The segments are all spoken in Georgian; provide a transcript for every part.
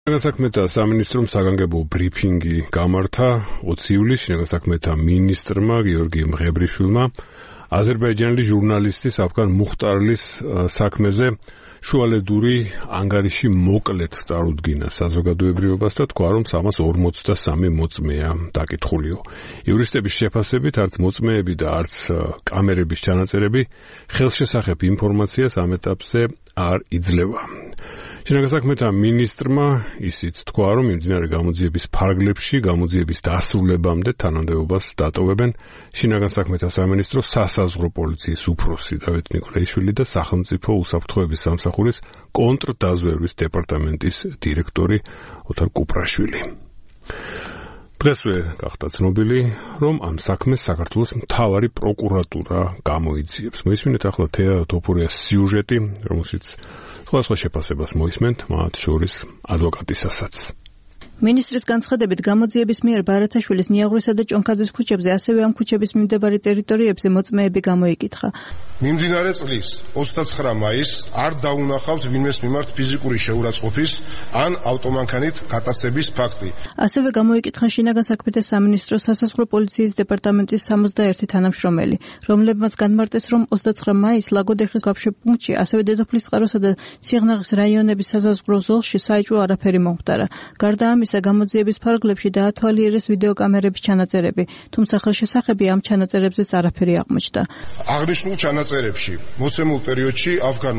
შინაგან სამინისტრომ საგანგებო ბრიფინგი გამართა 20 ივლისს შინაგან მინისტრმა გიორგი მღებრიშვილმა აზერბაიჯანელი ჟურნალისტის აფგან მუხტარლის საქმეზე შუალედური ანგარიში მოკლედ წარუდგინა საზოგადოებრივობას და თქვა, რომ 343 მოწმეა დაკითხულიო. იურისტების შეფასებით არც მოწმეები და არც კამერების ჩანაწერები ხელშესახებ ინფორმაციას ამ ეტაპზე არ იძლევა. შინაგან მინისტრმა ისიც თქვა, რომ მიმდინარე გამოძიების ფარგლებში გამოძიების დასრულებამდე თანამდებობას დატოვებენ შინაგან საქმეთა სამინისტროს სასაზღვრო პოლიციის უფროსი დავით ნიკოლაიშვილი და სახელმწიფო უსაფრთხოების სამსახურის კონტრდაზვერვის დეპარტამენტის დირექტორი ოთარ კუპრაშვილი. დღესვე გახდა ცნობილი, რომ ამ საქმეს საქართველოს მთავარი პროკურატურა გამოიძიებს. მოისმინეთ ახლა თეა თოფურიას სიუჟეტი, რომელშიც სხვა შეფასებას მოისმენთ, მათ შორის ადვოკატისასაც. მინისტრის განცხადებით გამოძიების მიერ ბარათაშვილის ნიაღვრისა და ჭონქაძის ქუჩებზე, ასევე ამ ქუჩების მიმდებარე ტერიტორიებზე მოწმეები გამოიკითხა. მიმდინარე წლის 29 მაისს არ დაუნახავთ ვინმეს მიმართ ფიზიკური შეურაცხყოფის ან ავტომანქანით გატაცების ფაქტი. ასევე გამოიკითხა შინაგან საქმეთა სამინისტროს სასაზღვრო პოლიციის დეპარტამენტის 61 თანამშრომელი, რომლებმაც განმარტეს, რომ 29 მაისს ლაგოდეხის გავშეპუნქტში, ასევე დედოფლის წყაროსა და სიღნაღის რაიონების სასაზღვრო ზოლში საეჭვო არაფერი მომხდარა. გარდა ამისა, გამოძიების ფარგლებში დაათვალიერეს ვიდეოკამერების ჩანაწერები, თუმცა ხელშესახები ამ ჩანაწერებზეც არაფერი აღმოჩნდა. აღნიშნულ ჩანაწერებში მოცემულ პერიოდში აფგან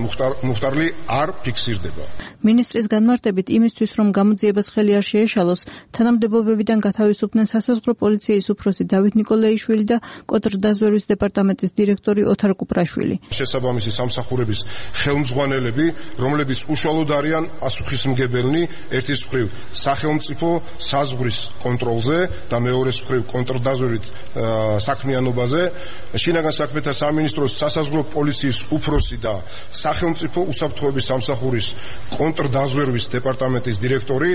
მუხტარლი არ ფიქსირდება. მინისტრის განმარტებით, იმისთვის, რომ გამოძიებას ხელი არ შეეშალოს, თანამდებობებიდან გათავისუფლდნენ სასაზღვრო პოლიციის უფროსი დავით ნიკოლაიშვილი და კონტრდაზვერვის დეპარტამენტის დირექტორი ოთარ კუპრაშვილი. შესაბამისი სამსახურების ხელმძღვანელები, რომლებიც უშუალოდ არიან პასუხისმგებელნი ერთის მხრივ სახელმწიფო საზღვრის კონტროლზე და მეორეს მხრივ კონტრდაზვერვით საქმიანობაზე, შინაგან საქმეთა სამინისტროს სასაზღვრო პოლიციის უფროსი და სახელმწიფო უსაფრთხოების სამსახურის კონტრდაზვერვის დეპარტამენტის დირექტორი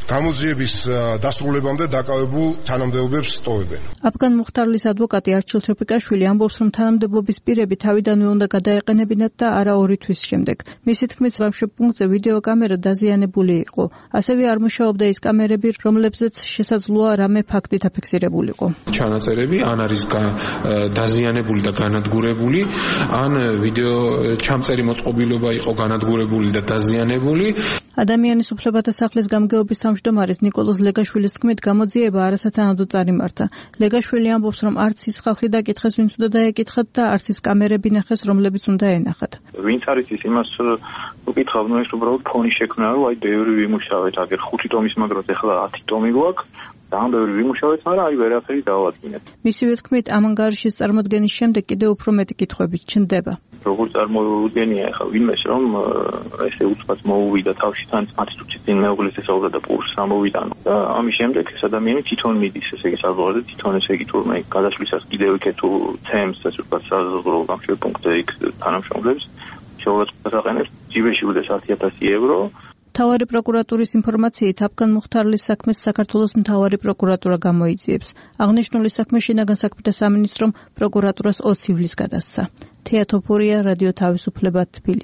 გამოძიების დასრულებამდე დაკავებულ თანამდებობებს სტოვებენ. აფგან მუხტარლის ადვოკატი არჩილ ჩოფიკაშვილი ამბობს, რომ თანამდებობის პირები თავიდანვე უნდა გადაეყენებინათ და არა 2 თვის შემდეგ. მისი თქმით, ვამშეპუნქტზე ვიდეოკამერა დაზიანებული იყო. ასევე არ მუშაობდა ის კამერები, რომლებზეც შესაძლოა რამე ფაქტი დაფიქსირებულიყო. ჩანაწერები ან არის დაზიანებული და განადგურებული, ან ვიდეო ჩამწერი მოწყობილობა იყო განადგურებული და დაზიანებული. ადამიანის უფლებათა სახლის გამგეობის თავმჯდომარის ნიკოლოზ ლეგაშვილის თქმით, გამოძიება არასათანადო წარიმართა. ლეგაშვილი ამბობს, რომ არც ის ხალხი დაკითხეს, ვინც უნდა დაეკითხათ და არც ის კამერები ნახეს, რომლებიც უნდა ენახათ. ვინც არის ის იმას უკითხავ, ნუ ეს უბრალოდ ფონი შექმნა, რომ აი ბევრი ვიმუშავეთ, აგერ 5 ტომის მაგრად ეხლა 10 ტომი გვაქვს. და ამ ბევრი ვიმუშავეთ, მაგრამ აი ვერაფერი დავადგინეთ. მისივე თქმით, ამ ანგარიშის წარმოდგენის შემდეგ კიდევ უფრო მეტი კითხვები ჩნდება. როგორ წარმოუდგენია ახლა ვინმეს, რომ ესე უცბად მოუვიდა თავში თან 10 წუთის წინ მეუღლის ესაუბრა და პულს ამოვიდა. და ამის შემდეგ ეს ადამიანი თვითონ მიდის, ესე იგი საზღვარზე, თვითონ ესე იგი თურმე გადასვლისას კიდევ იქ თუ ცემს ეს უბრალოდ საზღვრო გამშეპუნქტზე იქ თანამშრომლებს შეურაცხყოფას აყენებს, ჯიბეში უდეს 10,000 ევრო. მთავარი პროკურატურის ინფორმაციით, აფგან მუხტარლის საქმეს საქართველოს მთავარი პროკურატურა გამოიძიებს. აღნიშნული საქმე შინაგან საქმეთა სამინისტრომ პროკურატურას 20 ივლისს გადასცა. თეა თოფურია, რადიო თავისუფლება, თბილისი.